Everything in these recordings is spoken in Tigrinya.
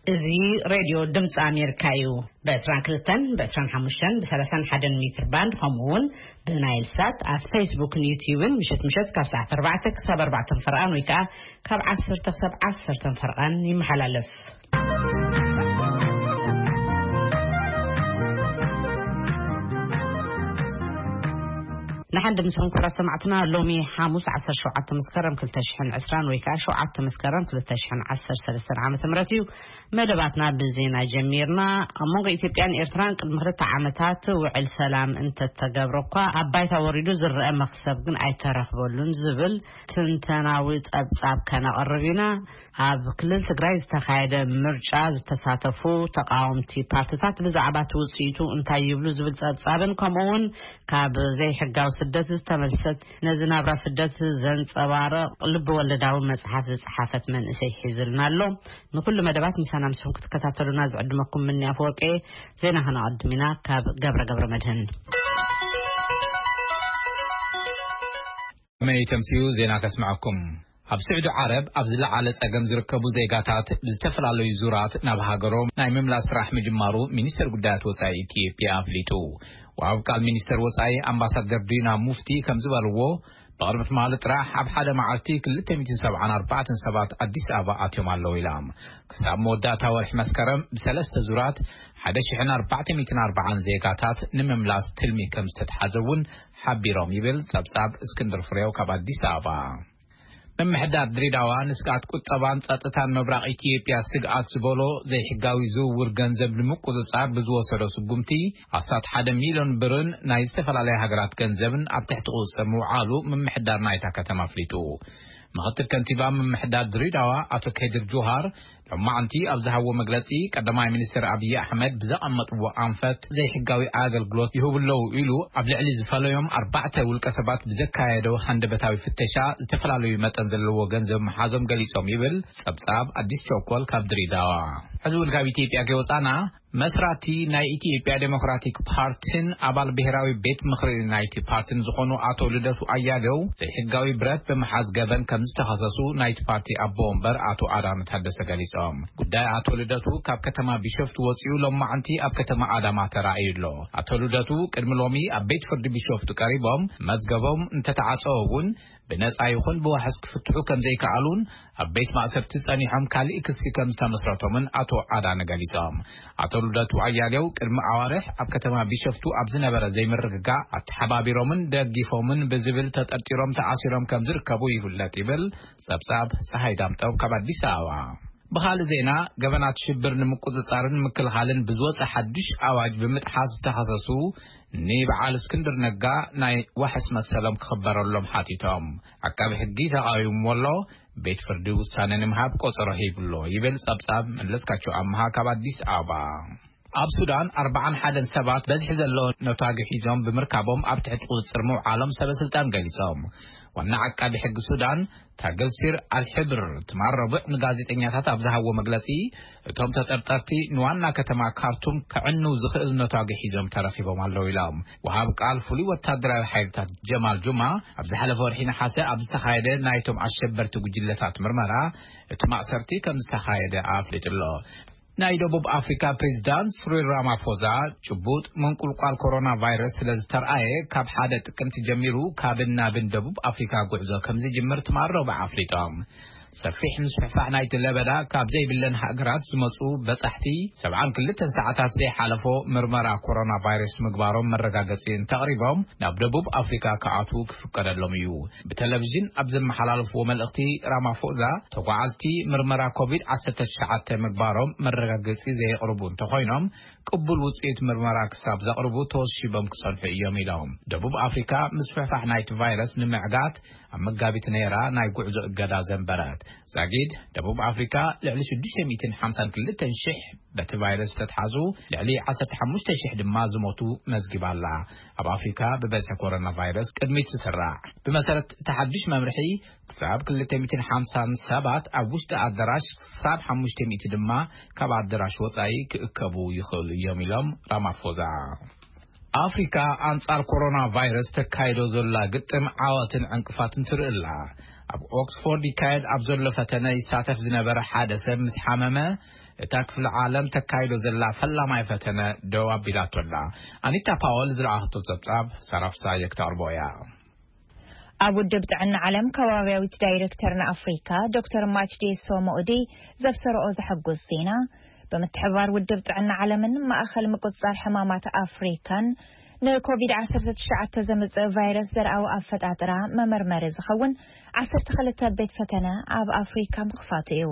እዚ ሬድዮ ድምፂ ኣሜሪካ እዩ። ብ22፣ ብ25፣ ብ31 ሜትር ባንድ፣ ከምኡ እውን ብናይል ሳት ኣብ ፌስቡክን ዩቲዩብን ምሸት ምሸት ካብ ሰዓት ኣርባዕተ ክሳብ ኣርባዕተ ፈርቓን ወይ ከዓ ካብ ዓሰርተ ክሳብ ዓሰርተ ፈርቓን ይመሓላለፍ። ንሓን ድምስኹም ክቡራት ሰማዕትና፣ ሎሚ ሓሙስ ዓሰርተ ሸውዓተ መስከረም ክልተ ሽሕን ዕስራን ወይ ከዓ ሸውዓተ መስከረም ክልተ ሽሕን ዓሰርተ ሰለስተን ዓመተ ምህረት እዩ። መደባትና ብዜና ጀሚርና። ኣብ መንጎ ኢትዮጵያን ኤርትራን ቅድሚ ክልተ ዓመታት ውዕል ሰላም እንተተገብረ እኳ፣ ኣብ ባይታ ወሪዱ ዝረአ መኽሰብ ግን ኣይተረኽበሉን ዝብል ትንተናዊ ጸብጻብ ከነቕርብ ኢና። ኣብ ክልል ትግራይ ዝተኻየደ ምርጫ ዝተሳተፉ ተቃወምቲ ፓርትታት ብዛዕባ እቲ ውጽኢቱ እንታይ ይብሉ ዝብል ጸብጻብን፣ ከምኡ እውን ካብ ዘይሕጋዊ ስደት ዝተመልሰት፣ ነዚ ናብራ ስደት ዘንጸባርቕ ልቢ ወለዳዊ መጽሓፍ ዝጸሓፈት መንእሰይ ሒዙልና ኣሎ። ንኩሉ መደባት ምሳና ምስኹም ክትከታተሉና ዝዕድመኩም ምኒ ኣፈወርቂ። ዜና ከነቐድም ኢና ካብ ገብረ ገብረ መድህን። መይ ተምሲኡ ዜና ከስምዐኩም። ኣብ ስዑዲ ዓረብ ኣብ ዝለዓለ ጸገም ዝርከቡ ዜጋታት ብዝተፈላለዩ ዙራት ናብ ሃገሮም ናይ ምምላስ ስራሕ ምጅማሩ ሚኒስተር ጉዳያት ወጻኢ ኢትዮጵያ ኣፍሊጡ። ወሃብ ቃል ሚኒስተር ወጻኢ ኣምባሳደር ዲና ሙፍቲ ከም ዝበልዎ፣ ብቕድሚ ትማሊ ጥራሕ ኣብ ሓደ መዓልቲ ክልተ ሚእትን ሰብዓን ኣርባዕተን ሰባት ኣዲስ ኣበባ ኣትዮም ኣለዉ ኢሎም። ክሳብ መወዳእታ ወርሒ መስከረም ብሰለስተ ዙራት ሓደ ሽሕን ኣርባዕተ ሚእትን ኣርባዓን ዜጋታት ንምምላስ ትልሚ ከም ዝተትሓዘ እውን ሓቢሮም ይብል ጸብጻብ እስክንድር ፍሬው ካብ ኣዲስ ኣበባ። ምምሕዳር ድሬዳዋ ንስግኣት ቁጠባን ጸጥታን ምብራቕ ኢትዮጵያ ስግኣት ዝበሎ ዘይሕጋዊ ዝውውር ገንዘብ ንምቁጽጻር ብዝወሰዶ ስጉምቲ ኣስታት ሓደ ሚልዮን ብርን ናይ ዝተፈላለያ ሃገራት ገንዘብን ኣብ ትሕቲ ቁጽጽር ምውዓሉ ምምሕዳር ናይታ ከተማ ኣፍሊጡ። ምኽትል ከንቲባ ምምሕዳር ድሬዳዋ ኣቶ ከድር ጁሃር ሎማዕንቲ ኣብ ዝሃብዎ መግለጺ፣ ቀዳማይ ሚኒስትር ኣብይ ኣሕመድ ብዘቐመጥዎ ኣንፈት ዘይሕጋዊ ኣገልግሎት ይህቡ ኣለዉ ኢሉ ኣብ ልዕሊ ዝፈለዮም ኣርባዕተ ውልቀ ሰባት ብዘካየዶ ሃንደበታዊ ፍተሻ ዝተፈላለዩ መጠን ዘለዎ ገንዘብ ምሓዞም ገሊጾም ይብል ጸብጻብ ኣዲስ ቸኮል ካብ ድሬዳዋ። ሕዚ እውን ካብ ኢትዮጵያ ከይወጻና፣ መስራቲ ናይ ኢትዮጵያ ዴሞክራቲክ ፓርቲን ኣባል ብሔራዊ ቤት ምኽሪ ናይቲ ፓርቲን ዝኾኑ ኣቶ ልደቱ ኣያሌው ዘይሕጋዊ ብረት ብምሓዝ ገበን ከም ዝተኸሰሱ ናይቲ ፓርቲ ኣቦ ወንበር ኣቶ ኣዳነ ታደሰ ገሊጾም። ጉዳይ ኣቶ ልደቱ ካብ ከተማ ቢሾፍቱ ወጺኡ ሎማዕንቲ ኣብ ከተማ ኣዳማ ተራእዩ ኣሎ። ኣቶ ልደቱ ቅድሚ ሎሚ ኣብ ቤት ፍርዲ ቢሾፍቱ ቀሪቦም መዝገቦም እንተተዓጸወ እውን ብነጻ ይኹን ብዋሕስ ክፍትሑ ከም ዘይከኣሉን ኣብ ቤት ማእሰርቲ ጸኒሖም ካልእ ክሲ ከም ዝተመስረቶምን ኣቶ ኣዳነ ገሊጾም። ኣቶ ልደቱ ኣያሌው ቅድሚ ኣዋርሕ ኣብ ከተማ ቢሸፍቱ ኣብ ዝነበረ ዘይምርግጋእ ኣተሓባቢሮምን ደጊፎምን ብዝብል ተጠርጢሮም ተኣሲሮም ከም ዝርከቡ ይፍለጥ ይብል ጸብጻብ ጸሃይ ዳምጠው ካብ ኣዲስ ኣበባ። ብኻልእ ዜና፣ ገበናት ሽብር ንምቁጽጻርን ምክልኻልን ብዝወጸ ሓድሽ ኣዋጅ ብምጥሓስ ዝተኸሰሱ ንበዓል እስክንድር ነጋ ናይ ዋሕስ መሰሎም ክኽበረሎም ሓቲቶም። ዓቃቢ ሕጊ ተቓዊምዎ ኣሎ። ቤት ፍርዲ ውሳነ ንምሃብ ቆጸሮ ሂብሎ ይብል ጸብጻብ መለስካቸው ኣምሃ ካብ ኣዲስ ኣበባ። ኣብ ሱዳን ኣርባዓን ሓደን ሰባት በዝሒ ዘለዎ ነታጊ ሒዞም ብምርካቦም ኣብ ትሕቲ ቁጽጽር ምውዓሎም ሰበ ስልጣን ገሊጾም። ዋና ዓቃቢ ሕጊ ሱዳን ታገልሲር ኣልሕብር ትማል ረቡዕ ንጋዜጠኛታት ኣብ ዝሃብዎ መግለጺ፣ እቶም ተጠርጠርቲ ንዋና ከተማ ካርቱም ከዕንው ዝኽእል ነታጊ ሒዞም ተረኺቦም ኣለዉ ኢሎም። ወሃብ ቃል ፍሉይ ወታደራዊ ሓይልታት ጀማል ጁማ ኣብ ዝሓለፈ ወርሒ ነሓሰ ኣብ ዝተኻየደ ናይቶም ኣሸበርቲ ጉጅለታት ምርመራ እቲ ማእሰርቲ ከም ዝተኻየደ ኣፍሊጡ ኣሎ። ናይ ደቡብ ኣፍሪካ ፕሬዚዳንት ስሪል ራማፎዛ ጭቡጥ ምንቁልቋል ኮሮና ቫይረስ ስለ ዝተርኣየ፣ ካብ ሓደ ጥቅምቲ ጀሚሩ ካብን ናብን ደቡብ ኣፍሪካ ጉዕዞ ከም ዝጅምር ትማል ረቡዕ ኣፍሊጦም። ሰፊሕ ምስፍሕፋሕ ናይቲ ለበዳ ካብ ዘይብለን ሃገራት ዝመፁ በፃሕቲ ሰብዓን ክልተን ሰዓታት ዘይሓለፎ ምርመራ ኮሮና ቫይረስ ምግባሮም መረጋገፂ እንተቕሪቦም ናብ ደቡብ ኣፍሪካ ክኣትዉ ክፍቀደሎም እዩ። ብቴሌቪዥን ኣብ ዘመሓላለፍዎ መልእኽቲ ራማፎዛ፣ ተጓዓዝቲ ምርመራ ኮቪድ ዓሰርተ ትሽዓተ ምግባሮም መረጋገፂ ዘየቕርቡ እንተኾይኖም፣ ቅቡል ውፅኢት ምርመራ ክሳብ ዘቕርቡ ተወሺቦም ክጸንሑ እዮም ኢሎም። ደቡብ ኣፍሪካ ምስፍሕፋሕ ናይቲ ቫይረስ ንምዕጋት ኣብ መጋቢት ነይራ ናይ ጉዕዞ እገዳ ዘንበረት። ዛጊድ ደቡብ ኣፍሪካ ልዕሊ ሽዱሽተ ሚእትን ሓምሳን ክልተን ሽሕ በቲ ቫይረስ ዝተትሓዙ፣ ልዕሊ ዓሰርተ ሓሙሽተ ሽሕ ድማ ዝሞቱ መዝጊባ ኣላ። ኣብ ኣፍሪካ ብበዝሒ ኮሮና ቫይረስ ቅድሚት ትስራዕ። ብመሰረት እቲ ሓድሽ መምርሒ፣ ክሳብ ክልተ ሚእትን ሓምሳን ሰባት ኣብ ውሽጢ ኣዳራሽ፣ ክሳብ ሓሙሽተ ሚእቲ ድማ ካብ ኣዳራሽ ወጻኢ ክእከቡ ይኽእሉ እዮም ኢሎም ራማፎዛ። ኣፍሪካ ኣንጻር ኮሮና ቫይረስ ተካይዶ ዘላ ግጥም ዓወትን ዕንቅፋትን ትርኢ ኣላ። ኣብ ኦክስፎርድ ይካየድ ኣብ ዘሎ ፈተነ ይሳተፍ ዝነበረ ሓደ ሰብ ምስ ሓመመ፣ እታ ክፍለ ዓለም ተካይዶ ዘላ ፈላማይ ፈተነ ደው ኣቢላቶ ኣላ። ኣኒታ ፓወል ዝረኣኽቶ ጸብጻብ ሳራፍሳ የክተቕርቦ እያ። ኣብ ውድብ ጥዕና ዓለም ከባቢያዊት ዳይሬክተር ንኣፍሪካ ዶክተር ማችዴሶ ሞኡዲ ዘብሰረኦ ዘሐጉስ ዜና፣ ብምትሕባር ውድብ ጥዕና ዓለምን ማእኸል ምቁጽጻር ሕማማት ኣፍሪካን ንኮቪድ ዓሰርተ ትሽዓተ ዘምጽእ ቫይረስ ዘርኣዊ ኣፈጣጥራ መመርመሪ ዝኸውን ዓሰርተ ክልተ ቤት ፈተነ ኣብ ኣፍሪካ ምኽፋቱ እዩ።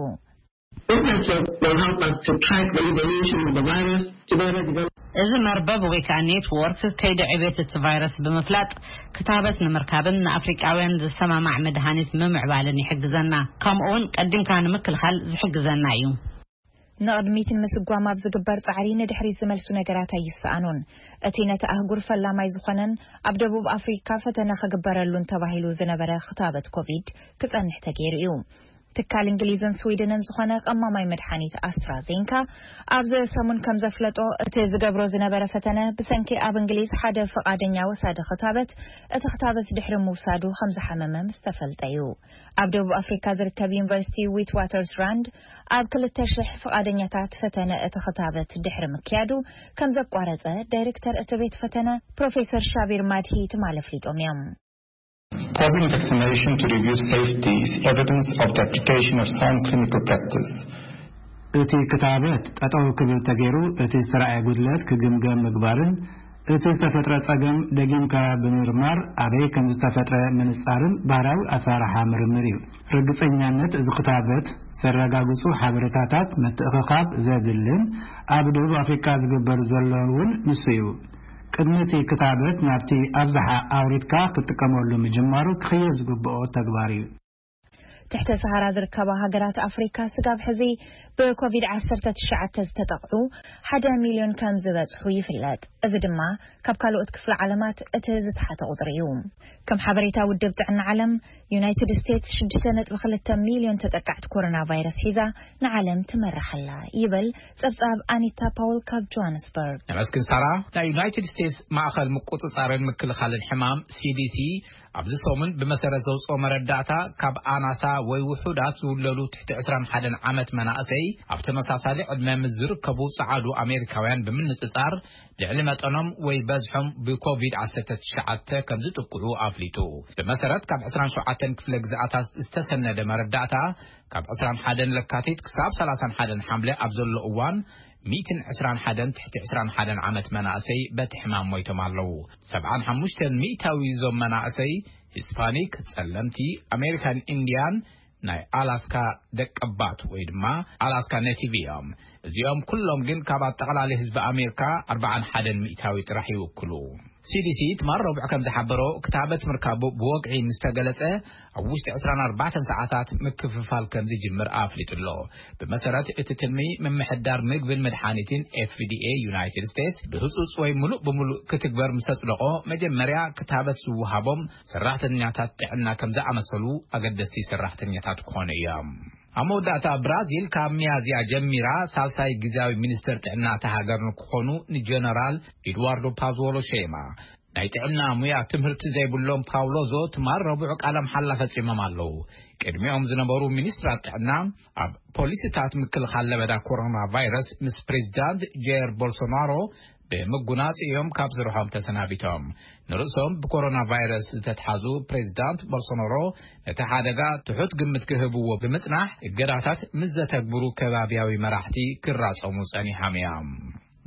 This network will help us to track the evolution of the virus, to better develop እዚ መርበብ ወይ ከዓ ኔትወርክ ከይዲ ዕቤት እቲ ቫይረስ ብምፍላጥ ክታበት ንምርካብን ንኣፍሪቃውያን ዝሰማማዕ መድሃኒት ምምዕባልን ይሕግዘና። ከምኡ እውን ቀዲምካ ንምክልኻል ዝሕግዘና እዩ። ንቕድሚት ንምስጓም ኣብ ዝግበር ጻዕሪ ንድሕሪት ዝመልሱ ነገራት ኣይሰኣኑን። እቲ ነቲ ኣህጉር ፈላማይ ዝኾነን ኣብ ደቡብ ኣፍሪካ ፈተነ ክግበረሉን ተባሂሉ ዝነበረ ክታበት ኮቪድ ክጸንሕ ተገይሩ እዩ። ትካል እንግሊዝን ስዊድንን ዝኾነ ቀማማይ መድሓኒት ኣስትራዜንካ ኣብዚ ሰሙን ከም ዘፍለጦ፣ እቲ ዝገብሮ ዝነበረ ፈተነ ብሰንኪ ኣብ እንግሊዝ ሓደ ፍቓደኛ ወሳዲ ክታበት እቲ ክታበት ድሕሪ ምውሳዱ ከም ዝሓመመ ምስ ተፈልጠ እዩ። ኣብ ደቡብ ኣፍሪካ ዝርከብ ዩኒቨርሲቲ ዊት ዋተርስ ራንድ ኣብ ክልተ ሽሕ ፍቓደኛታት ፈተነ እቲ ክታበት ድሕሪ ምክያዱ ከም ዘቋረጸ ዳይሬክተር እቲ ቤት ፈተነ ፕሮፌሰር ሻቪር ማድሂ ትማል ኣፍሊጦም እዮም። Pausing vaccination to review safety is evidence of the application of sound clinical practice. እቲ ክታበት ጠጠው ክብል ተገይሩ እቲ ዝተረኣየ ጉድለት ክግምገም ምግባርን እቲ ዝተፈጥረ ጸገም ደጊምካ ብምርማር ኣበይ ከም ዝተፈጥረ ምንጻርን ባህራዊ ኣሰራርሓ ምርምር እዩ። ርግጸኛነት እዚ ክታበት ዘረጋግጹ ሓበሬታታት ምትእኽኻብ ዘድልን ኣብ ደቡብ ኣፍሪካ ዝግበር ዘሎ እውን ንሱ እዩ። ቅድሚ እቲ ክታበት ናብቲ ኣብዝሓ ኣውሪድካ ክትጥቀመሉ ምጅማሩ ክኽየድ ዝግብኦ ተግባር እዩ። ትሕተ ሰሃራ ዝርከባ ሃገራት ኣፍሪካ ስጋብ ሕዚ ብኮቪድ ዓሰርተ ትሽዓተ ዝተጠቕዑ ሓደ ሚልዮን ከም ዝበጽሑ ይፍለጥ። እዚ ድማ ካብ ካልኦት ክፍለ ዓለማት እቲ ዝተሓተ ቁጽሪ እዩ። ከም ሓበሬታ ውድብ ጥዕና ዓለም፣ ዩናይትድ ስቴትስ ሽዱሽተ ነጥቢ ክልተ ሚልዮን ተጠቃዕቲ ኮሮና ቫይረስ ሒዛ ንዓለም ትመርሕ ኣላ ይብል ጸብጻብ ኣኒታ ፓውል ካብ ጆሃንስበርግ። ነመስግን ሳራ። ናይ ዩናይትድ ስቴትስ ማእኸል ምቁጽጻርን ምክልኻልን ሕማም ሲዲሲ ኣብዚ ሰሙን ብመሰረት ዘውፅኦ መረዳእታ ካብ ኣናሳ ወይ ውሑዳት ዝውለዱ ትሕቲ ዕስራን ሓደን ዓመት መናእሰይ ኣብ ተመሳሳሊ ዕድመ ምስ ዝርከቡ ጸዓዱ ኣሜሪካውያን ብምንጽጻር ልዕሊ መጠኖም ወይ በዝሖም ብኮቪድ ዓሰርተ ትሽዓተ ከም ዝጥቅዑ ኣፍሊጡ። ብመሰረት ካብ ዕስራን ሸውዓተን ክፍለ ግዝኣታት ዝተሰነደ መረዳእታ ካብ ዕስራን ሓደን ለካቲት ክሳብ ሰላሳን ሓደን ሓምለ ኣብ ዘሎ እዋን ሚእትን ዕስራን ሓደን ትሕቲ ዕስራን ሓደን ዓመት መናእሰይ በቲ ሕማም ሞይቶም ኣለዉ። ሰብዓን ሓሙሽተን ሚእታዊ እዞም መናእሰይ ሂስፓኒክ፣ ጸለምቲ፣ ኣሜሪካን ኢንዲያን፣ ናይ ኣላስካ ደቀባት ወይ ድማ ኣላስካ ኔቲቭ እዮም። እዚኦም ኩሎም ግን ካብ ኣጠቓላሊ ህዝቢ ኣሜሪካ ኣርባዓን ሓደን ሚእታዊ ጥራሕ ይውክሉ። ሲዲሲ ትማል ረቡዕ ከም ዝሓበሮ ክታበት ምርካቡ ብወግዒ ምስ ተገለጸ ኣብ ውሽጢ ዕስራን ኣርባዕተን ሰዓታት ምክፍፋል ከም ዝጅምር ኣፍሊጡ ኣሎ። ብመሰረት እቲ ትልሚ ምምሕዳር ምግብን መድሓኒትን ኤፍዲኤ ዩናይትድ ስቴትስ ብህጹጽ ወይ ምሉእ ብምሉእ ክትግበር ምስ ኣጽደቖ መጀመርያ ክታበት ዝወሃቦም ሰራሕተኛታት ጥዕና ከም ዝኣመሰሉ ኣገደስቲ ሰራሕተኛታት ክኾኑ እዮም። ኣብ መወዳእታ ብራዚል ካብ ሚያዝያ ጀሚራ ሳልሳይ ግዝያዊ ሚኒስተር ጥዕና እታ ሃገር ንክኾኑ ንጀነራል ኤድዋርዶ ፓዝዎሎ ሸይማ። ናይ ጥዕና ሙያ ትምህርቲ ዘይብሎም ፓውሎዞ ትማል ረቡዕ ቃለ መሓላ ፈጺሞም ኣለዉ። ቅድሚኦም ዝነበሩ ሚኒስትራት ጥዕና ኣብ ፖሊሲታት ምክልኻል ለበዳ ኮሮና ቫይረስ ምስ ፕሬዚዳንት ጀየር ቦልሶናሮ ብምጉናጽ እዮም ካብ ስርሖም ተሰናቢቶም። ንርእሶም ብኮሮና ቫይረስ ዝተትሓዙ ፕሬዚዳንት ቦልሶናሮ ነቲ ሓደጋ ትሑት ግምት ክህብዎ ብምጽናሕ እገዳታት ምስ ዘተግብሩ ከባቢያዊ መራሕቲ ክራጸሙ ጸኒሖም እዮም።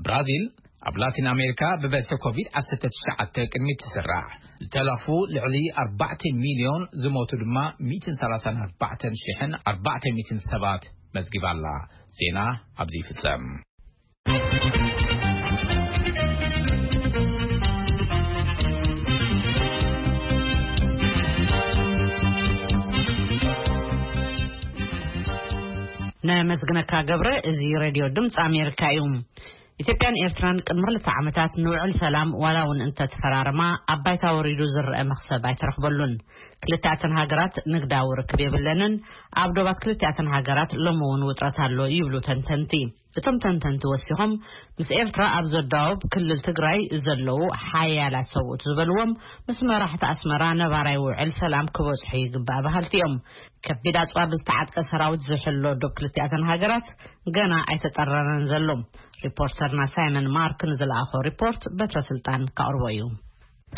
ብራዚል ኣብ ላቲን ኣሜሪካ ብበዝሒ ኮቪድ ዓሰርተ ትሽዓተ ቅድሚ ትስራሕ ዝተለኽፉ ልዕሊ ኣርባዕተ ሚልዮን ዝሞቱ ድማ ሚእትን ሰላሳን ኣርባዕተን ሽሕን ኣርባዕተ ሚእትን ሰባት መዝጊባ ኣላ። ዜና ኣብዚ ይፍጸም። ነመስግነካ ገብረ። እዚ ሬድዮ ድምፂ ኣሜሪካ እዩ። ኢትዮጵያን ኤርትራን ቅድሚ ክልተ ዓመታት ንውዕል ሰላም ዋላ እውን እንተተፈራረማ ኣብ ባይታ ወሪዱ ዝረአ መኽሰብ ኣይተረኽበሉን። ክልቲኣተን ሃገራት ንግዳዊ ርክብ የብለንን። ኣብ ዶባት ክልቲኣተን ሃገራት ሎሚ እውን ውጥረት ኣሎ ይብሉ ተንተንቲ። እቶም ተንተንቲ ወሲኾም፣ ምስ ኤርትራ ኣብ ዘዳወብ ክልል ትግራይ ዘለዉ ሓያላት ሰብኡት ዝበልዎም፣ ምስ መራሕቲ ኣስመራ ነባራይ ውዕል ሰላም ክበጽሑ ይግባእ በሃልቲ እዮም። ከቢድ ኣጽዋር ብዝተዓጥቀ ሰራዊት ዝሕሎ ዶብ ክልቲኣተን ሃገራት ገና ኣይተጠረረን ዘሎ። ሪፖርተርና ሳይመን ማርክ ንዝለኣኾ ሪፖርት በትረ ስልጣን ከቕርቦ እዩ።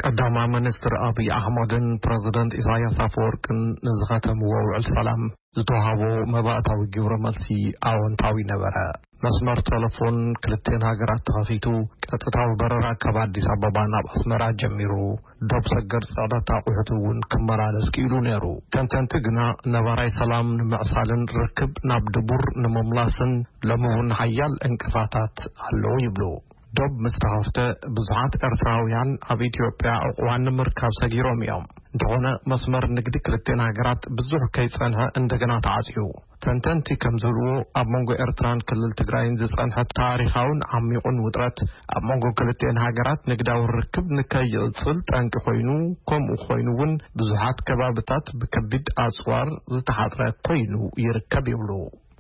ቀዳማይ ሚኒስትር ኣብይ ኣሕመድን ፕረዚደንት ኢሳያስ ኣፈወርቅን ንዝኸተምዎ ውዕል ሰላም ዝተዋሃቦ መባእታዊ ግብረ መልሲ ኣወንታዊ ነበረ። መስመር ቴሌፎን ክልቴን ሃገራት ተኸፊቱ፣ ቀጥታዊ በረራ ካብ ኣዲስ ኣበባ ናብ ኣስመራ ጀሚሩ፣ ዶብ ሰገር ጽዕነት ኣቑሑት እውን ክመላለስ ክኢሉ ነይሩ። ተንተንቲ ግና፣ ነባራይ ሰላም ንምዕሳልን ርክብ ናብ ድቡር ንምምላስን ሎሚ እውን ሓያል ዕንቅፋታት ኣለዉ ይብሉ። ዶብ ምስ ተኸፍተ፣ ብዙሓት ኤርትራውያን ኣብ ኢትዮጵያ ዕቑባን ንምርካብ ሰጊሮም እዮም። እንተኾነ፣ መስመር ንግዲ ክልቴን ሃገራት ብዙሕ ከይጸንሐ እንደገና ተዓጽዩ። ተንተንቲ ከም ዝብልዎ፣ ኣብ መንጎ ኤርትራን ክልል ትግራይን ዝጸንሐ ታሪኻውን ዓሚቑን ውጥረት፣ ኣብ መንጎ ክልቴን ሃገራት ንግዳዊ ርክብ ንከይቕጽል ጠንቂ ኮይኑ፣ ከምኡ ኮይኑ እውን ብዙሓት ከባብታት ብከቢድ ኣጽዋር ዝተሓጽረ ኮይኑ ይርከብ ይብሉ።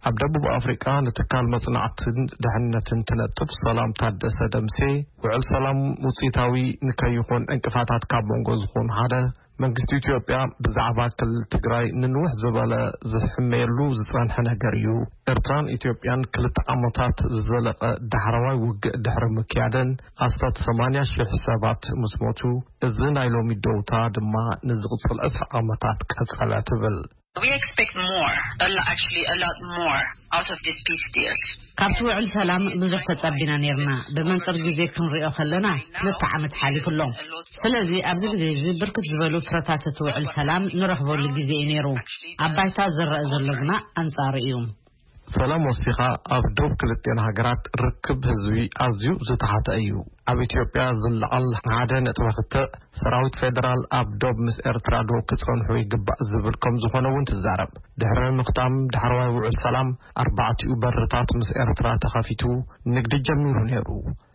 ኣብ ደቡብ ኣፍሪቃ ንትካል መጽናዕትን ድሕነትን ትነጥፍ ሰላም ታደሰ ደምሴ፣ ውዕል ሰላም ውጽኢታዊ ንከይኾን ዕንቅፋታት ካብ መንጎ ዝኾኑ ሓደ፣ መንግስቲ ኢትዮጵያ ብዛዕባ ክልል ትግራይ ንንውሕ ዝበለ ዝሕመየሉ ዝጸንሐ ነገር እዩ። ኤርትራን ኢትዮጵያን ክልተ ዓመታት ዝዘለቐ ዳሕረዋይ ውግእ ድሕሪ ምክያደን፣ ኣስታት ሰማንያ ሺሕ ሰባት ምስ ሞቱ፣ እዚ ናይ ሎሚ ደውታ ድማ ንዝቕጽል ዕስራ ዓመታት ቀጸለ ትብል። We expect more, a lo- actually a lot more out of this peace deal. ካብቲ ውዕል ሰላም ብዙሕ ተጸቢና ነርና። ብመንጽር ግዜ ክንሪኦ ከለና፣ ክልተ ዓመት ሓሊፉ ኣሎ። ስለዚ ኣብዚ ግዜ እዚ ብርክት ዝበሉ ፍረታት እቲ ውዕል ሰላም ንረኽበሉ ግዜ እዩ ነይሩ። ኣብ ባይታ ዝረአ ዘሎ ግና ኣንጻሩ እዩ። ሰላም ወሲኻ፣ ኣብ ዶብ ክልቴን ሃገራት ርክብ ህዝቢ ኣዝዩ ዝተሓተ እዩ። ኣብ ኢትዮጵያ ዝለዓል ሓደ ነጥቢ ክልተ ሰራዊት ፌደራል ኣብ ዶብ ምስ ኤርትራ ዶ ክጸንሑ ይግባእ ዝብል ከም ዝኾነ እውን ትዛረብ። ድሕሪ ምኽታም ዳሕረዋይ ውዕል ሰላም፣ ኣርባዕቲኡ በርታት ምስ ኤርትራ ተኸፊቱ ንግዲ ጀሚሩ ነይሩ።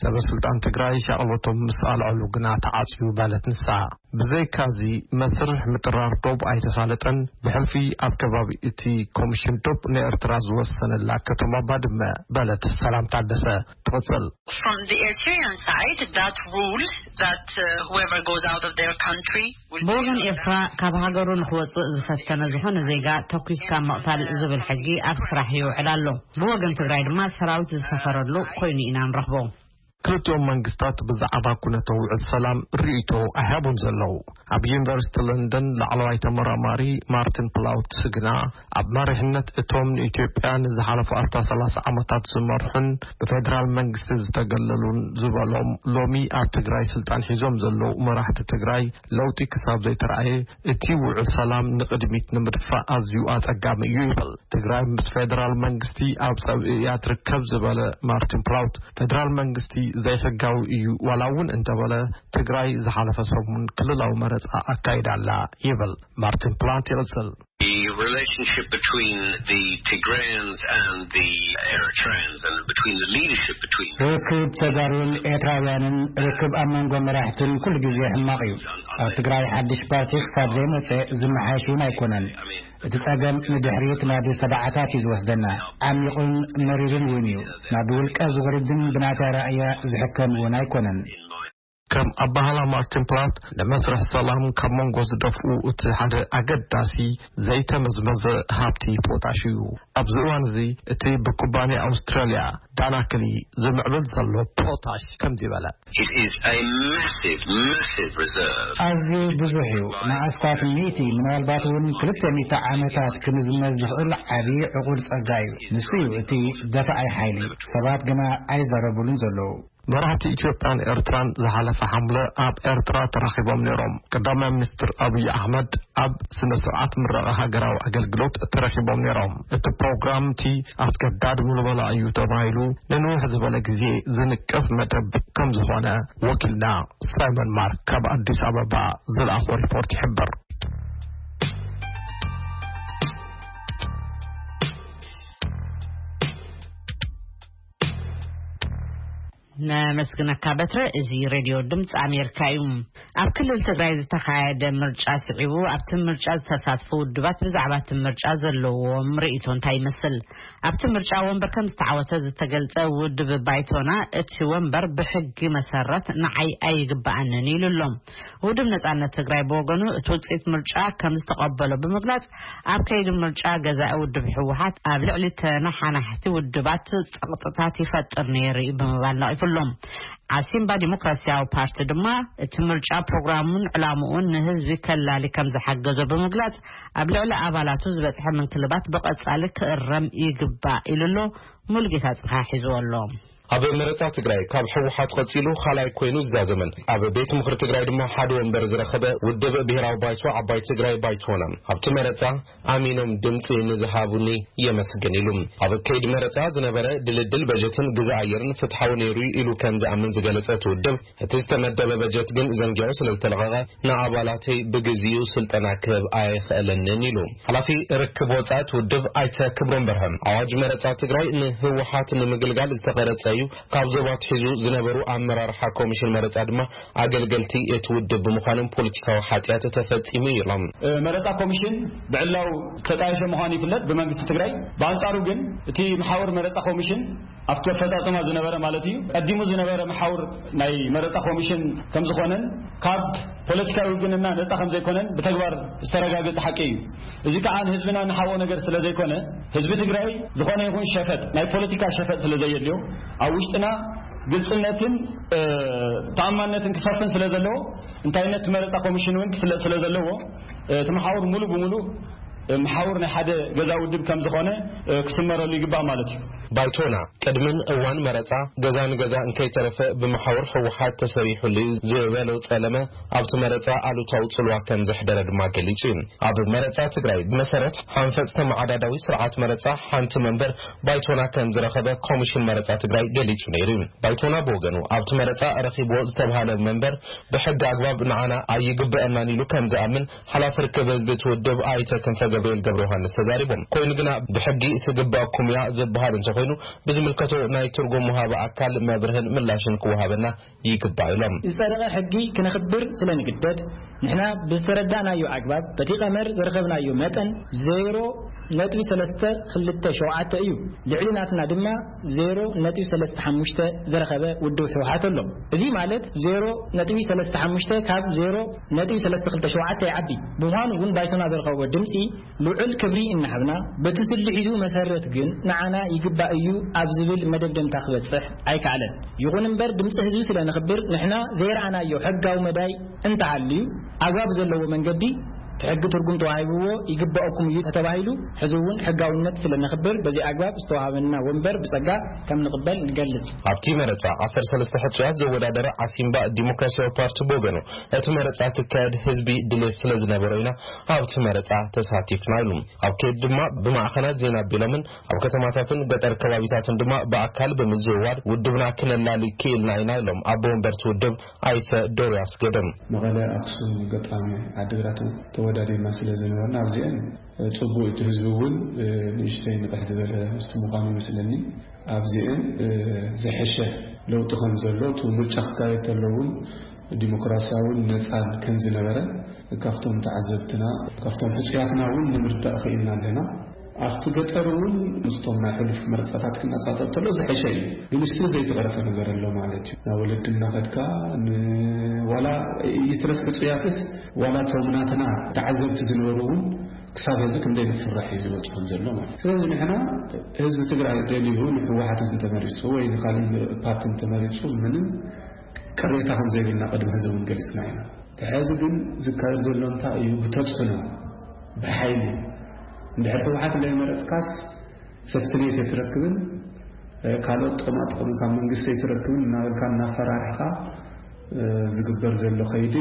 ሰበ ስልጣን ትግራይ ሻቕሎቶም ምስ ኣልዐሉ ግና ተዓጽዩ በለት ንሳ። ብዘይካዚ፣ መስርሕ ምጥራር ዶብ ኣይተሳለጠን። ብሕልፊ ኣብ ከባቢ እቲ ኮሚሽን ዶብ ንኤርትራ ዝወሰነላ ከተማ ባድመ በለት ሰላም ታደሰ ትቕጽል። From the Eritrean side, that rule that uh, whoever goes out of their country will be ብወገን ኤርትራ፣ ካብ ሃገሩ ንክወጽእ ዝፈተነ ዝኾነ ዜጋ ተኩስካ ምቕታል ዝብል ሕጊ ኣብ ስራሕ ይውዕል ኣሎ። ብወገን ትግራይ ድማ ሰራዊት ዝሰፈረሉ ኮይኑ ኢና ንረኽቦ። ክልቲኦም መንግስታት ብዛዕባ ኩነተ ውዕል ሰላም ርእይቶ ኣይሃቡን ዘለዉ። ኣብ ዩኒቨርሲቲ ለንደን ላዕለዋይ ተመራማሪ ማርቲን ፕላውትስ ግና፣ ኣብ መሪሕነት እቶም ንኢትዮጵያ ንዝሓለፉ ኣስታት ሰላሳ ዓመታት ዝመርሑን ብፌደራል መንግስቲ ዝተገለሉን ዝበሎም፣ ሎሚ ኣብ ትግራይ ስልጣን ሒዞም ዘለዉ መራሕቲ ትግራይ ለውጢ ክሳብ ዘይተረኣየ፣ እቲ ውዕል ሰላም ንቕድሚት ንምድፋእ ኣዝዩ ኣጸጋሚ እዩ ይብል። ትግራይ ምስ ፌደራል መንግስቲ ኣብ ጸብኢ እያ ትርከብ ዝበለ ማርቲን ፕላውት፣ ፌደራል መንግስቲ ዘይሕጋዊ እዩ ዋላ እውን እንተበለ፣ ትግራይ ዝሓለፈ ሰሙን ክልላዊ መረጻ ኣካይዳ ኣላ ይብል። ማርቲን ፕላውት ይቕጽል። The relationship between the Tigrayans and the Eritreans and between the leadership between them. ርክብ ተጋሩን ኤርትራውያንን ርክብ ኣብ መንጎ መራሕትን ኩሉ ግዜ ሕማቕ እዩ። ኣብ ትግራይ ሓድሽ ፓርቲ ክሳብ ዘይመጸ ዝመሓሽ እውን ኣይኮነን። እቲ ጸገም ንድሕሪት ናብ ሰብዓታት እዩ ዝወስደና። ዓሚቑን መሪርን እውን እዩ። ናብ ውልቀ ዝወርድን ብናታ ራእያ ዝሕከም እውን ኣይኮነን። ከም ኣባህላ ማርቲን ፕላት፣ ንመስርሕ ሰላም ካብ መንጎ ዝደፍኡ እቲ ሓደ ኣገዳሲ ዘይተመዝመዘ ሃብቲ ፖታሽ እዩ። ኣብዚ እዋን እዚ እቲ ብኩባንያ ኣውስትራልያ ዳናክሊ ዝምዕብል ዘሎ ፖታሽ ከምዚ በለ። It is a massive, massive reserve. ኣዝዩ ብዙሕ እዩ። ንኣስታት ሚእቲ፣ ምናልባት እውን ክልተ ሚእቲ ዓመታት ክምዝመዝ ዝኽእል ዓቢ ዕቑር ጸጋ እዩ። ንሱ እዩ እቲ ደፋኣይ ሓይሊ። ሰባት ግና ኣይዛረቡሉን ዘለዉ። መራሕቲ ኢትዮጵያን ኤርትራን ዝሓለፈ ሓምለ ኣብ ኤርትራ ተራኺቦም ነይሮም። ቀዳማይ ሚኒስትር ኣብይ ኣሕመድ ኣብ ስነ ስርዓት ምረቓ ሃገራዊ ኣገልግሎት ተረኺቦም ነይሮም። እቲ ፕሮግራም እቲ ኣስገዳድ ምልመላ እዩ ተባሂሉ ንንውሕ ዝበለ ግዜ ዝንቀፍ መደብ ከም ዝኾነ ወኪልና ሳይመን ማርክ ካብ ኣዲስ ኣበባ ዝለኣኾ ሪፖርት ይሕብር። ነመስግነካ በትረ። እዚ ሬድዮ ድምፂ ኣሜሪካ እዩ። ኣብ ክልል ትግራይ ዝተኻየደ ምርጫ ስዒቡ ኣብቲ ምርጫ ዝተሳትፉ ውድባት ብዛዕባ እቲ ምርጫ ዘለዎም ርእይቶ እንታይ ይመስል? ኣብቲ ምርጫ ወንበር ከም ዝተዓወተ ዝተገልጸ ውድብ ባይቶና እቲ ወንበር ብሕጊ መሰረት ንዓይ ኣይግባኣንን ኢሉ ኣሎ። ውድብ ነጻነት ትግራይ ብወገኑ እቲ ውፅኢት ምርጫ ከም ዝተቐበሎ ብምግላጽ ኣብ ከይዲ ምርጫ ገዛኢ ውድብ ህወሓት ኣብ ልዕሊ ተነሓናሕቲ ውድባት ጸቕጥታት ይፈጥር ነይሩ እዩ ብምባል ነቒፉ ኣሎ። ዓሲምባ ዲሞክራሲያዊ ፓርቲ ድማ እቲ ምርጫ ፕሮግራሙን ዕላምኡን ንህዝቢ ከላሊ ከም ዝሓገዞ ብምግላጽ ኣብ ልዕሊ ኣባላቱ ዝበጽሐ ምንክልባት ብቐጻሊ ክእረም ይግባእ ኢሉ ኣሎ። ሙሉጌታ ጽብሓ ሒዝዎ ኣሎ። ኣብ መረጻ ትግራይ ካብ ህወሓት ቀጺሉ ካልኣይ ኮይኑ ዝዛዘመን ኣብ ቤት ምኽሪ ትግራይ ድማ ሓደ ወንበር ዝረኸበ ውድብ ብሄራዊ ባይቶ ዓባይ ትግራይ ባይቶና ኣብቲ መረጻ ኣሚኖም ድምፂ ንዝሃቡኒ የመስግን ኢሉ። ኣብ ከይዲ መረፃ ዝነበረ ድልድል በጀትን ግዛ ኣየርን ፍትሓዊ ነይሩ ኢሉ ከም ዝኣምን ዝገለፀ እቲ ውድብ፣ እቲ ዝተመደበ በጀት ግን ዘንጊዑ ስለ ዝተለቐቐ ንኣባላተይ ብግዚኡ ስልጠና ክህብ ኣይኽእለንን ኢሉ። ሓላፊ ርክብ ወፃኢ እቲ ውድብ ኣይተ ክብሮም በርሀ ኣዋጅ መረፃ ትግራይ ንህወሓት ንምግልጋል ዝተቐረፀ እዩ፣ ካብ ዞባ ኣትሒዙ ዝነበሩ ኣመራርሓ ኮሚሽን መረፃ ድማ ኣገልገልቲ እቲ ውድብ ብምዃኖም ፖለቲካዊ ሓጢኣት ተፈፂሙ እዩ ኢሎም። መረፃ ኮሚሽን ብዕላው ተጣየሸ ምዃኑ ይፍለጥ ብመንግስቲ ትግራይ። ብኣንፃሩ ግን እቲ መሓውር መረፃ ኮሚሽን ኣብቲ ኣፈፃፅማ ዝነበረ ማለት እዩ፣ ቀዲሙ ዝነበረ መሓውር ናይ መረፃ ኮሚሽን ከም ዝኾነን ካብ ፖለቲካዊ ውግንና ነፃ ከም ዘይኮነን ብተግባር ዝተረጋገፀ ሓቂ እዩ። እዚ ከዓ ንህዝብና ንሓቦ ነገር ስለ ዘይኮነ፣ ህዝቢ ትግራይ ዝኾነ ይኹን ሸፈጥ፣ ናይ ፖለቲካ ሸፈጥ ስለ ዘየድልዮ፣ ኣብ ውሽጥና ግልፅነትን ተኣማንነትን ክሰፍን ስለ ዘለዎ፣ እንታይነት መረፃ ኮሚሽን እውን ክፍለጥ ስለ ዘለዎ፣ እቲ መሓውር ሙሉ ብሙሉ መሓውር ናይ ሓደ ገዛ ውድብ ከም ዝኾነ ክስመረሉ ይግባእ ማለት እዩ። ባይቶና ቅድምን እዋን መረፃ ገዛ ንገዛ እንከይተረፈ ብመሓውር ህወሓት ተሰሪሑሉ እዩ ዝበለው ፀለመ ኣብቲ መረፃ ኣሉታዊ ፅልዋ ከም ዘሕደረ ድማ ገሊፁ እዩ። ኣብ መረፃ ትግራይ ብመሰረት ሓንፈፅ ተመዓዳዳዊ ስርዓት መረፃ ሓንቲ መንበር ባይቶና ከም ዝረኸበ ኮሚሽን መረፃ ትግራይ ገሊፁ ነይሩ እዩ። ባይቶና ብወገኑ ኣብቲ መረፃ ረኺብዎ ዝተብሃለ መንበር ብሕጊ ኣግባብ ንዓና ኣይግበአናን ኢሉ ከም ዝኣምን ሓላፊ ርክብ ህዝቢ እቲ ውድብ ኣይተ ክንፈ ገብርኤል ገብረ ዮሃንስ ተዛሪቦም። ኮይኑ ግና ብሕጊ ትግበአኩም እያ ዝበሃል እንተኾይኑ ብዝምልከቶ ናይ ትርጉም ወሃቢ ኣካል መብርህን ምላሽን ክወሃበና ይግባእ ኢሎም። ዝጸደቐ ሕጊ ክነኽብር ስለ ንግደድ፣ ንሕና ብዝተረዳእናዮ ኣግባብ በቲ ቀመር ዝረኸብናዮ መጠን ዜሮ ነጥቢ ሰለስተ ክልተ ሸውዓተ እዩ። ልዕሊ ናትና ድማ ዜሮ ነጥቢ ሰለስተ ሓሙሽተ ዝረኸበ ውድብ ህወሓት ኣሎ። እዚ ማለት ዜሮ ነጥቢ ሰለስተ ሓሙሽተ ካብ ዜሮ ነጥቢ ሰለስተ ክልተ ሸውዓተ ይዓቢ። ብምዃኑ እውን ባይቶና ዝረኸቦ ድምፂ ልዑል ክብሪ እናሃብና፣ በቲ ስልሒቱ መሰረት ግን ንዓና ይግባእ እዩ ኣብ ዝብል መደምደምታ ክበፅሕ ኣይከኣለን። ይኹን እምበር ድምፂ ህዝቢ ስለ ነኽብር ንሕና ዘይረኣናዮ ሕጋዊ መዳይ እንተሃልዩ ኣግባብ ዘለዎ መንገዲ እቲ ሕጊ ትርጉም ተዋሂብዎ ይግባኦኩም እዩ ተተባሂሉ ሕዚ እውን ሕጋውነት ስለ ነኽብር በዚ ኣግባብ ዝተዋሃበና ወንበር ብፀጋ ከም ንቕበል ንገልፅ። ኣብቲ መረፃ ዓሰርተ ሰለስተ ሕፁያት ዘወዳደረ ዓሲምባ ዲሞክራሲያዊ ፓርቲ ብወገኑ እቲ መረፃ ክካየድ ህዝቢ ድሌት ስለ ዝነበሮ ኢና ኣብቲ መረፃ ተሳቲፍና ኢሉ። ኣብ ከይዲ ድማ ብማዕኸናት ዜና ኣቢሎምን ኣብ ከተማታትን ገጠር ከባቢታትን ድማ ብኣካል ብምዝውዋር ውድብና ክነላሊ ክኢልና ኢና ኢሎም ኣቦ ወንበርቲ ውድብ ኣይተ ዶርያስ ገደም። መቐለ፣ ኣክሱም፣ ገጣሚ፣ ዓዲግራት ተወዳዲርና ስለ ዝነበርና ኣብዚአን ፅቡቅ እቲ ህዝቢ እውን ንእሽተይ ንቕሕ ዝበለ ህዝቢ ምዃኑ ይመስለኒ። ኣብዚአን ዝሐሸ ለውጢ ከም ዘሎ እቲ ምርጫ ክካየድ ተሎ እውን ዲሞክራሲያውን ነፃን ከም ዝነበረ ካብቶም ተዓዘብትና ካብቶም ሕፁያትና እውን ንምርዳእ ክኢልና ኣለና። ኣብቲ ገጠር እውን ምስቶም ናይ ሕሉፍ መረፃታት ክነፃፀር ተሎ ዝሐሸ እዩ። ግን ስቲል ዘይተቐረፈ ነገር ኣሎ ማለት እዩ። ናብ ወለዲ እናኸድካ ንዋላ ይትረፍ ሕፁያትስ ዋላ እቶም ናትና ተዓዘብቲ ዝነበሩ እውን ክሳብ ሕዚ ክንደይ ንፍራሕ እዩ ዝመፅኦም ዘሎ ማለት እዩ። ስለዚ ንሕና ህዝቢ ትግራይ ደልዩ ንህወሓት እንተመሪፁ ወይ ንካሊእ ፓርቲ እንተመሪፁ ምንም ቅሬታ ከም ዘይብልና ቅድሚ ሕዚ እውን ገሊፅና ኢና። ሕዚ ግን ዝካየድ ዘሎ እንታይ እዩ? ብተፅዕኖ፣ ብሓይሊ። እንድሕር ህወሓት ዘይመረፅካስ ሰፍትኔት ኣይትረክብን፣ ካልኦት ጥቕማ ጥቕሚ ካብ መንግስቲ ኣይትረክብን እናበልካ እናፈራርሕካ ዝግበር ዘሎ ከይዲ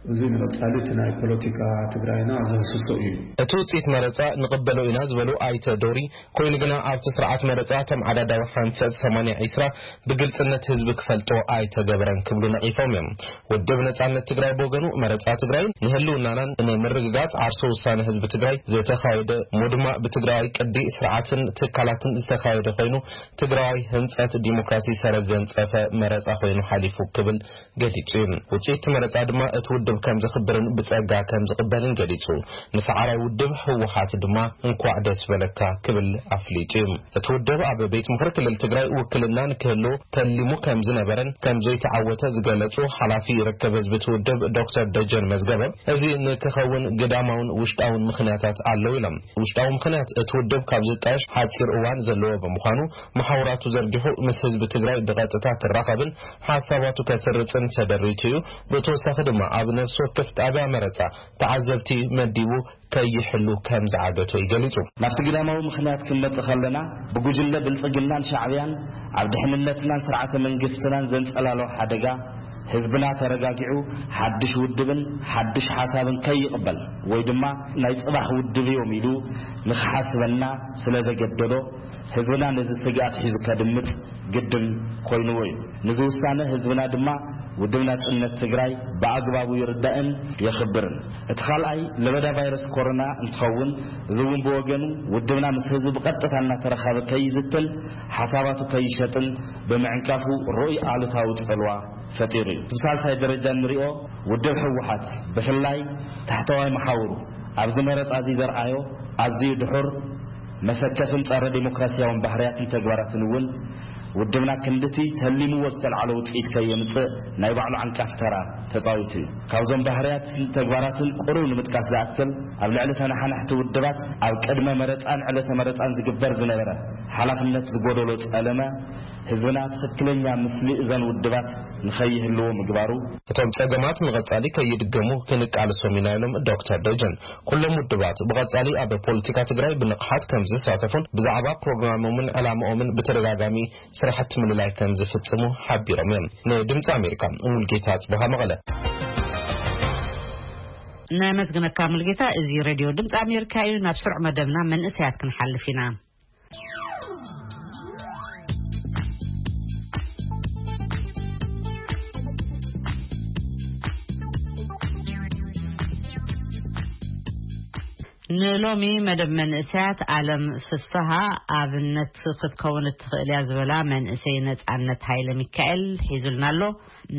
እዚ ንቐጻሊ እቲ ናይ ፖለቲካ ትግራይና ዘህስሶ እዩ። እቲ ውፅኢት መረፃ ንቕበሎ ኢና ዝበሉ ኣይተ ዶሪ፣ ኮይኑ ግና ኣብቲ ስርዓት መረፃ ተመዓዳዳዊ ሓንፈፅ ሰማንያ ዒስራ ብግልፅነት ህዝቢ ክፈልጦ ኣይተገበረን ክብሉ ነቒፎም እዮም። ውድብ ነፃነት ትግራይ ብወገኑ፣ መረፃ ትግራይ ንህልውናናን ንምርግጋፅ ዓርሶ ውሳነ ህዝቢ ትግራይ ዝተኻየደ እሞ ድማ ብትግራይ ቅዲ ስርዓትን ትካላትን ዝተኻየደ ኮይኑ፣ ትግራይ ህንፀት ዲሞክራሲ ሰረት ዘንፀፈ መረፃ ኮይኑ ሓሊፉ ክብል ገሊጹ እዩ። ውጽኢት መረጻ ድማ እቲ ውድብ ከም ዘኽብርን ብጸጋ ከም ዝቕበልን ገሊጹ። ንሰዓራይ ውድብ ህወሓት ድማ እንኳዕ ደስ በለካ ክብል ኣፍሊጡ እዩ። እቲ ውድብ ኣብ ቤት ምኽሪ ክልል ትግራይ ውክልና ንክህልዎ ተሊሙ ከም ዝነበረን ከም ዘይተዓወተ ዝገለጹ ሓላፊ ርክብ ህዝቢ እቲ ውድብ ዶክተር ደጀን መዝገበ፣ እዚ ንክኸውን ግዳማውን ውሽጣውን ምኽንያታት ኣለዉ ኢሎም። ውሽጣዊ ምኽንያት እቲ ውድብ ካብ ዝጣየሽ ሓጺር እዋን ዘለዎ ብምዃኑ፣ መሓውራቱ ዘርጊሑ ምስ ህዝቢ ትግራይ ብቐጥታ ክራኸብን ሓሳባቱ ከስርጽን ተደሪቱ እዩ። ብተወሳኺ ድማ ኣብ ነፍሲ ወከፍ ጣብያ መረጻ ተዓዘብቲ መዲቡ ከይሕሉ ከም ዝዓገቶ እዩ ገሊጹ። ናብቲ ግዳማዊ ምኽንያት ክንመጽእ ከለና፣ ብጉጅለ ብልጽግናን ሻዕብያን ኣብ ድሕንነትናን ስርዓተ መንግስትናን ዘንጸላሎ ሓደጋ፣ ህዝብና ተረጋጊዑ ሓድሽ ውድብን ሓድሽ ሓሳብን ከይቕበል ወይ ድማ ናይ ጽባሕ ውድብ እዮም ኢሉ ንኽሓስበና ስለ ዘገደዶ፣ ህዝብና ነዚ ስግኣት ሒዙ ከድምጽ ግድን ኮይንዎ እዩ። ንዚ ውሳነ ህዝብና ድማ ውድብ ናጽነት ትግራይ ብኣግባቡ ይርዳእን የኽብርን። እቲ ካልኣይ ለበዳ ቫይረስ ኮሮና እንትኸውን፣ እዚ እውን ብወገኑ ውድብና ምስ ህዝቢ ብቐጥታ እናተረኸበ ከይዝትን ሓሳባቱ ከይሸጥን ብምዕንቃፉ ርኡይ ኣሉታዊ ጽልዋ ፈጢሩ እዩ። ብሳልሳይ ደረጃ እንሪኦ፣ ውድብ ህወሓት ብፍላይ ታሕተዋይ መሓውሩ ኣብዚ መረጻ እዚ ዘርኣዮ ኣዝዩ ድሑር፣ መሰከፍን ጸረ ዲሞክራሲያውን ባህርያትን ተግባራትን እውን ውድብና ክንድቲ ተሊምዎ ዝተልዓሎ ውጽኢት ከየምጽእ ናይ ባዕሉ ዓንቃፊ ተራ ተጻዊቱ እዩ። ካብዞም ባህርያትን ተግባራትን ቁሩብ ንምጥቃስ ዝኣክል፣ ኣብ ልዕሊ ተነሓናሕቲ ውድባት ኣብ ቅድመ መረጻን ዕለተ መረጻን ዝግበር ዝነበረ ሓላፍነት ዝጎደሎ ጸለመ፣ ህዝብና ትኽክለኛ ምስሊ እዘን ውድባት ንኸይህልዎ ምግባሩ። እቶም ጸገማት ንቐጻሊ ከይድገሙ ክንቃለሶም ኢና ኢሎም ዶክተር ደጀን። ኩሎም ውድባት ብቐጻሊ ኣብ ፖለቲካ ትግራይ ብንቕሓት ከም ዝሳተፉን ብዛዕባ ፕሮግራሞምን ዕላማኦምን ብተደጋጋሚ ስራሕቲ ምልላይ ከም ዝፍጽሙ ሓቢሮም እዮም። ንድምፂ ኣሜሪካ ሙልጌታ ጽበኻ መቐለ። ነመስግነካ ሙልጌታ። እዚ ሬድዮ ድምፂ ኣሜሪካ እዩ። ናብ ስሩዕ መደብና መንእሰያት ክንሓልፍ ኢና። ንሎሚ መደብ መንእሰያት ኣለም ፍስሃ ኣብነት ክትከውን እትኽእል እያ ዝበላ መንእሰይ ነጻነት ሃይለ ሚካኤል ሒዙልና ኣሎ።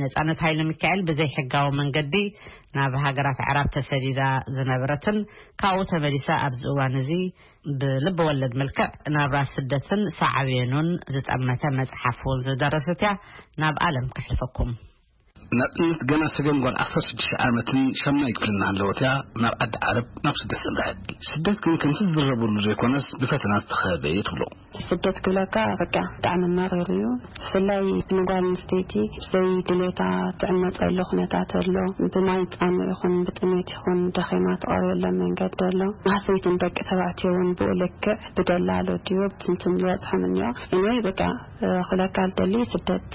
ነጻነት ሃይለ ሚካኤል ብዘይ ሕጋዊ መንገዲ ናብ ሃገራት ኣዕራብ ተሰዲዳ ዝነበረትን ካብኡ ተመሊሳ ኣብዚ እዋን እዚ ብልቢ ወለድ መልክዕ ናብራ ስደትን ሳዕቤኑን ዝጠመተ መጽሓፍ እውን ዝደረሰት እያ። ናብ ኣለም ከሕልፈኩም። ናጽነት ገና ሰገን ጓል ዓሰርተ ሽዱሽተ ዓመትን ሻምናይ ክፍልን እናሃለወት እያ ናብ ዓዲ ዓረብ ናብ ስደት ዘምርሐት። ስደት ግን ከምቲ ዝዝረበሉ ዘይኮነስ ብፈተናት ዝተኸበበ እየ ትብሎ። ስደት ክብለካ በቃ ብጣዕሚ መሪር እዩ። ብፍላይ ንጓል ኣንስተይቲ ብዘይ ድሌታ ትዕመፀሉ ኩነታት ኣሎ። ብማይ ፃምእ ይኹን ብጥሜት ይኹን ደኺማ ትቐርበሎም መንገዲ ኣሎ። ማህሰይትን ደቂ ተባዕትዮ እውን ብኡ ልክዕ ብደላሎ ድዮ ብትንትን ዝበፅሖም እኒኦ። እኔ በቃ ክብለካ ዝደሊ ስደት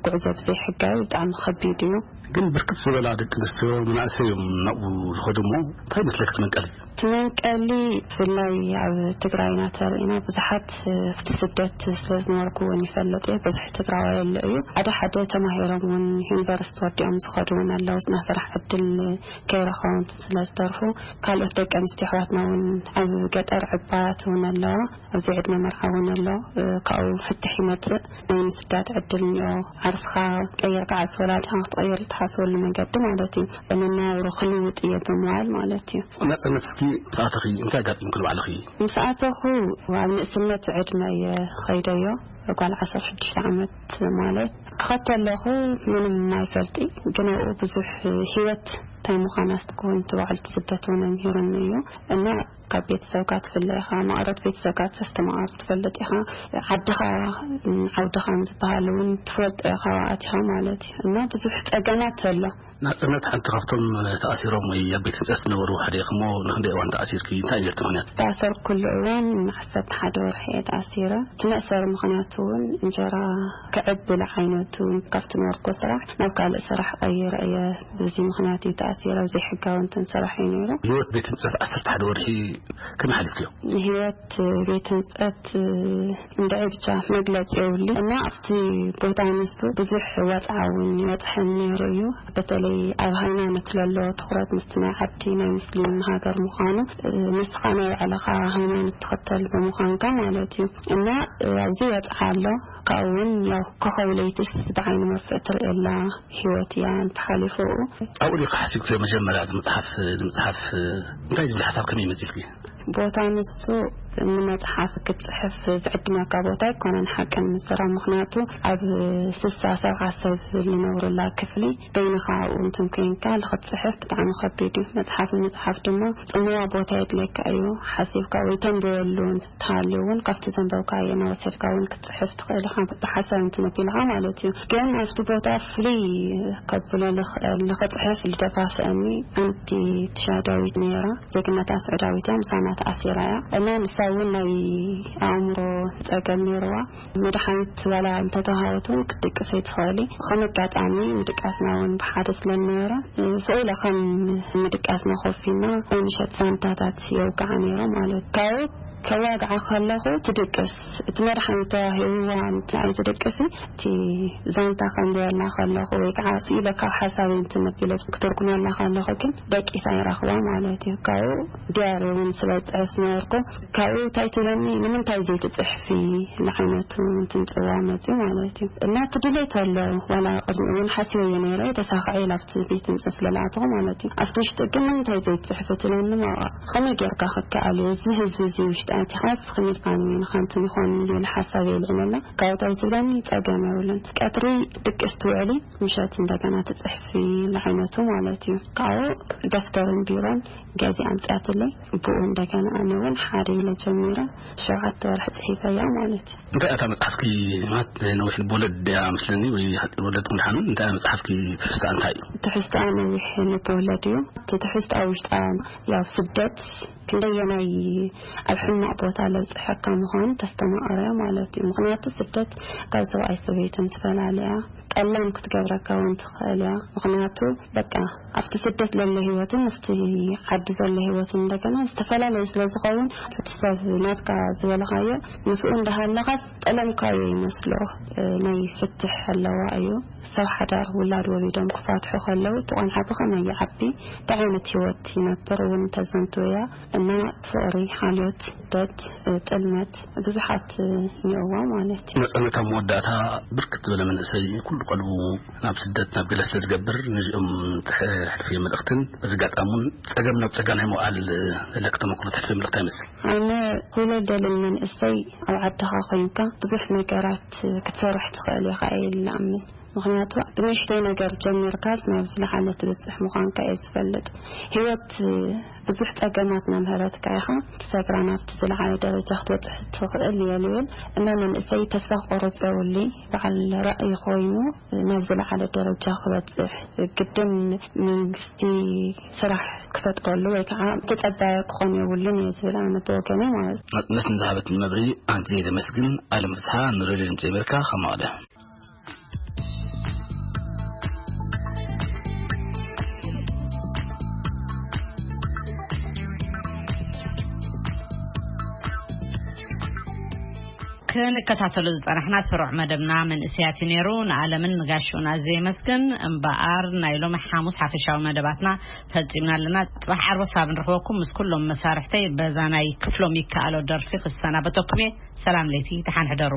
ጉዕዞ ብዘይ ሕጋዊ ብጣዕሚ ከቢድ እዩ። ግን ብርክት ዝበላ ደቂ ኣንስትዮ መናእሰይ እዮም ናብኡ ዝኸዱ እሞ እንታይ ይመስለክ እቲ መንቀሊ? እቲ መንቀሊ ብፍላይ ኣብ ትግራይና ተሪእና ብዙሓት ኣብቲ ስደት ስለ ዝነበርኩ እውን ይፈልጥ እየ። ብዙሕ ትግራዋይ ኣሎ እዩ። ሓደ ሓደ ተማሂሮም እውን ዩኒቨርሲቲ ወዲኦም ዝኸዱ እውን ኣለዉ። ናይ ስራሕ ዕድል ከይረኸቡ እንትን ስለ ዝተርፉ ካልኦት ደቂ ኣንስትዮ ኣሕዋትና እውን ኣብ ገጠር ዕባያት እውን ኣለዋ። ኣብዚ ዕድመ መርዓ እውን ኣሎ። ካብኡ ፍትሕ ይመፅእ ናይ ምስዳድ ዕድል እኒኦ። ዓርስኻ ቀይርካ ዓርሲ ወላዲኻ ክትቕይር ትሓስበሉ መንገዲ ማለት እዩ። መነባብሮ ክልውጥ እየ ብምባል ማለት እዩ። ናጽነት እስኪ ምስ ኣተኺ እንታይ ኣጋጢምኪ ንባዕልኺ? ምስ ኣተኹ ኣብ ንእስነት ዕድመ እየ ኸይደዮ። ጓል ዓሰርተ ሽዱሽተ ዓመት ማለት ክኸድ ከለኹ ምንም ኣይፈልጢ፣ ግን ኣብኡ ብዙሕ ህይወት እንታይ ምዃና ስትክውን ትባዕል ትስደት እውን ኣምሂሩኒ እዩ። እና ካብ ቤተሰብካ ትፍለ ኢኻ፣ ማዕረት ቤተሰብካ ተስተማቐር ትፈልጥ ኢኻ። ዓድኻ ዓውድኻን ዝበሃል እውን ትፈልጦ ኢኻ ኣብኡ ኣቲኻ ማለት እዩ። እና ብዙሕ ጸገማት ኣሎ። ናጽነት ሓንቲ ካብቶም ተኣሲሮም ወይ ኣብ ቤት ህንጸት ዝነበሩ ሓደ ኢኹም እሞ ንክንደይ እዋን ተኣሲርኪ? እንታይ እዩ ነቲ ምኽንያት? ዝተኣሰርኩሉ እዋን ዓሰርተ ሓደ ወርሒ እየ ተኣሲረ። እቲ መእሰሪ ምኽንያት እውን እንጀራ ክዕብል ዓይነቱ ካብቲ ነበርኩ ስራሕ ናብ ካልእ ስራሕ ቀይረ እየ። በዚ ምኽንያት እዩ ተኣሲረ። ዜሮ ዘይሕጋዊ እንትን ስራሕ እዩ ነይሩ። ህይወት ቤት ህንጸት ዓሰርተ ሓደ ወርሒ ከመይ ሓሊፍክዮ? ንህይወት ቤት ህንጸት እንድዒ ብቻ መግለጺ የብሉን። እና ኣብቲ ቦታ ንሱ ብዙሕ ወጽዓ እውን ይበጽሐን ነይሩ እዩ። በተለይ ኣብ ሃይማኖት ለሎ ትኹረት ምስቲ ናይ ዓዲ ናይ ሙስሊም ሃገር ምዃኑ፣ ንስኻ ናይ ባዕልኻ ሃይማኖት ትኽተል ብምዃንካ ማለት እዩ። እና ኣብዚ ወጽዓ ኣሎ። ካብኡ እውን ያው ኮኸብ ለይትስ ብዓይኒ መርፍእ ትርእየላ ህይወት እያ እንተሓሊፉ። ኣብኡ ዲኻ ሓሲብክዮ መጀመርያ እቲ መጽሓፍ ንምጽሓፍ? እንታይ ዝብል ሓሳብ ከመይ መጺልኪ? ቦታ ንሱ ንመጽሓፍ ክትጽሕፍ ዝዕድመካ ቦታ ኣይኮነን ሓቀን ምዝራብ። ምኽንያቱ ኣብ ስሳ ሰብዓ ሰብ ዝነብሩላ ክፍሊ በይንኻ ኣብኡ እንትን ኮይንካ ንኽትጽሕፍ ብጣዕሚ ከቢድ እዩ። መጽሓፍ ንምጽሓፍ ድማ ጽምዋ ቦታ የድልየካ እዩ። ሓሲብካ ወይ ተንብበሉ እንተሃልዩ እውን ካብቲ ዘንበብካዮ እናወሰድካ እውን ክትጽሕፍ ትኽእል ኢኻ፣ ብሓሳብ እንትን ኣቢልካ ማለት እዩ። ግን ኣብቲ ቦታ ፍልይ ከብሎ ልኽእል ንኽጽሕፍ ልደፋፍአኒ ሓንቲ ትሻዳዊት ነይራ። ዜግነታ ስዑዳዊት እያ፣ ምሳና ተኣሲራ እያ። እና ንሳ እውን ናይ ኣእምሮ ጸገም ነይርዋ። መድሓኒት ዋላ እንተተዋሃበት እውን ክትድቅስ ኣይትኽእሊ። ከም ኣጋጣሚ ምድቃስና እውን ብሓደ ስለ ዝነበረ፣ ስቕ ኢለ ከም ምድቃስና ኮፍ ኢልና ናይ ምሸት ዛንታታት የውግዓ ነይረ ማለት እዩ። ካብኡ ከዋግዓ ከለኹ ትድቅስ። እቲ መድሓኒት ተዋሂብዋ ንዓይ ትድቅሲ፣ እቲ ዛንታ ከንብበላ ከለኹ ወይ ከዓ ስኢለ ካብ ሓሳበይ እንትን ኣቢለ ክትርጉመላ ከለኹ ግን ደቂሳ ይረኽባ ማለት እዩ። ካብኡ ዲያሪ እውን ስለ ዝጽሕፍ ዝነበርኩ፣ ካብኡ እንታይ ትብለኒ፣ "ንምንታይ ዘይትጽሕፊ?" ዝዓይነቱ እንትን ጽዋ መጽዩ ማለት እዩ። እና እቲ ድሌት ኣሎ፣ ዋላ ቅድሚ እውን ሓሲበዮ ነይረ፣ ተሳኽዐ ኢላ ኣብቲ ቤት ህንጸት ስለ ዝኣተኹ ማለት እዩ። ኣብቲ ውሽጢ ግን "ንምንታይ ዘይትጽሕፊ?" ትብለኒ፣ "ማዋ፣ ከመይ ጌርካ ክትከኣል እዩ? እዚ ህዝቢ እዚ ውሽጢ ኣቲኻ እስኺ ኢልካ ንበይንኻ እንትን ይኾን?" ዝብል ሓሳብ የልዕለላ። ካብኡ እንታይ ትብለኒ፣ "ጸገም የብሉን። ቀትሪ ድቅስ ትውዕሊ፣ ምሸት እንደገና ትጽሕፊ" ዝዓይነቱ ማለት እዩ። ካብኡ ደፍተርን ቢሮን ገዚኣ ኣምጺኣትለይ። ብኡ እንደገና ኣነ እውን ሓደ ኢለ ጀሚረ፣ ሸውዓተ ወርሒ ጽሒፈያ ማለት እዩ። እንታይ እታ መጽሓፍኪ? ማለት ነዊሕ ልቦለድ እያ መስለኒ፣ ወይ ልቦለድ ምድሓኑ? እንታይ እያ መጽሓፍኪ? ትሕዝቶኣ እንታይ እዩ? ትሕዝቶኣ ነዊሕ ልቦለድ እዩ። እቲ ትሕዝቶኣ ውሽጣ ያው ስደት ክንደየናይ ኣብ ሕማቕ ቦታ ለብጽሐካ ምዃኑ ተስተማቕር እያ ማለት እዩ። ምኽንያቱ ስደት ካብ ሰብኣይ ሰበይትን ትፈላለያ፣ ጠላም ክትገብረካ እውን ትኽእል እያ። ምኽንያቱ በቃ ኣብቲ ስደት ዘሎ ህይወትን ኣብቲ ዓዲ ዘሎ ህይወትን እንደገና ዝተፈላለዩ ስለ ዝኸውን፣ እቲ ሰብ ናትካ ዝበልኻዮ ምስኡ እንዳሃለኻስ ጠለምካዮ ይመስሎ። እ፣ ናይ ፍትሕ ኣለዋ እዩ። ሰብ ሓዳር ውላድ ወሊዶም ክፋትሑ ከለዉ፣ እቲ ቆልዓ ብኸመይ ይዓቢ፣ እንታይ ዓይነት ህይወት ይነብር እውን ተዘንቱ እያ። እና ፍቕሪ፣ ሓልዮት፣ ስደት፣ እ፣ ጥልመት ብዙሓት፣ እ፣ እኒኦዋ ማለት እዩ። መጸነታ መወዳእታ ብርክት ዝበለ መንእሰይ ኩሉ ቀልቡ ናብ ስደት ናብ ገለ ስለ ዝገብር፣ ነዚኦም ተሕልፍዮ መልእኽትን በዚ ኣጋጣሚ እውን ጸገም ናብ ጸጋ ናይ ምውዓል ዘለኪ ተመክሮ ተሕልፍዮ መልእኽቲ ኣይመስል? ኣነ ኩለ ደልን መንእሰይ ኣብ ዓድኻ ኮይንካ ብዙሕ ነገራት ክትሰርሕ ትኽእል ኢኻ ኢለ እኣምን። ምኽንያቱ ብንእሽተይ ነገር ጀሚርካስ ናብ ዝለዓለ ትበጽሕ ምዃንካ እየ ዝፈልጥ። ህይወት ብዙሕ ጸገማት እናምሀረትካ ኢኻ ትሰግራ ናብቲ ዝለዓለ ደረጃ ክትበጽሕ ትኽእል እየ ዝብል። እና መንእሰይ ተስፋ ክቆርጽ የብሉይ። በዓል ራእይ ኮይኑ ናብ ዝለዓለ ደረጃ ክበጽሕ ግድን መንግስቲ ስራሕ ክፈጥረሉ ወይ ከዓ ተጸባየ ክኾን የብሉን እየ ዝብል ኣነ ብወገነይ ማለት እዩ። ናጽነት ንዝሃበትን መብርሂ ኣዝየ ዘመስግን። ኣለም ፍስሓ፣ ንሬድዮ ድምጺ ኣሜሪካ፣ ካብ መቐለ። ክንከታተሎ ዝጸናሕና ስሩዕ መደብና መንእሰያት እዩ ነይሩ። ንኣለምን ንጋሽኡን ኣዝየ የመስግን። እምበኣር ናይ ሎሚ ሓሙስ ሓፈሻዊ መደባትና ፈጺምና ኣለና። ጽባሕ ዓርቢ ክሳብ ንረኽበኩም ምስ ኩሎም መሳርሕተይ በዛ ናይ ክፍሎም ይከኣሎ ደርፊ ክሰናበተኩም እየ። ሰላም ለይቲ፣ ደሓን ሕደሩ።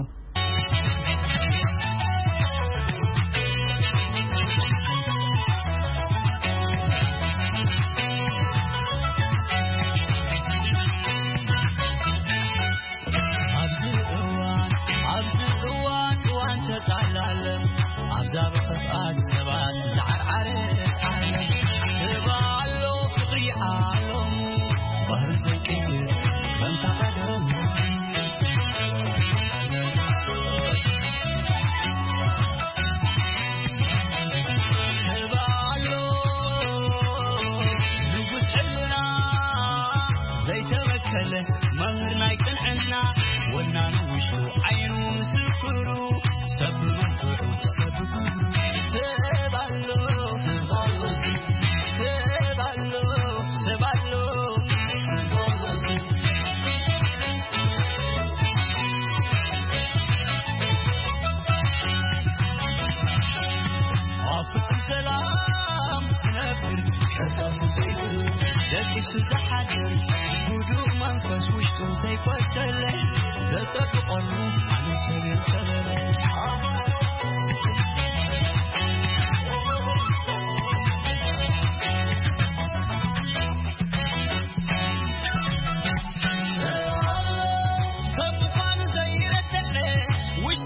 ኣብዚ እዋን፣ ኣብዚ እዋን፣ እዋን ተጣላለ። ኣብዛ ብኽፍኣት ሰባት ዝዓርዓረ ዓለም፣ ህባ ኣሎ፣ ፍቕሪ ኣሎ፣ ባህሪ ዘይቅይር ከምታ ቀደም። ህባ ኣሎ፣ ንጉስ ሕልና ዘይተበከለ፣ መምህር ናይ ቅንዕና፣ ወናኑ ውሽጡ ዓይኑ ምስክሩ፣ ሰብ ብመንፍዑ ሰብ ብግብሩ። ህባ ኣሎ፣ ህባ ኣሎ፣ ዝሓድር ህዱእ መንፈስ ውሽጡ ዘይኮሰለ ዘጸብቐሉ ኣነ ሰብ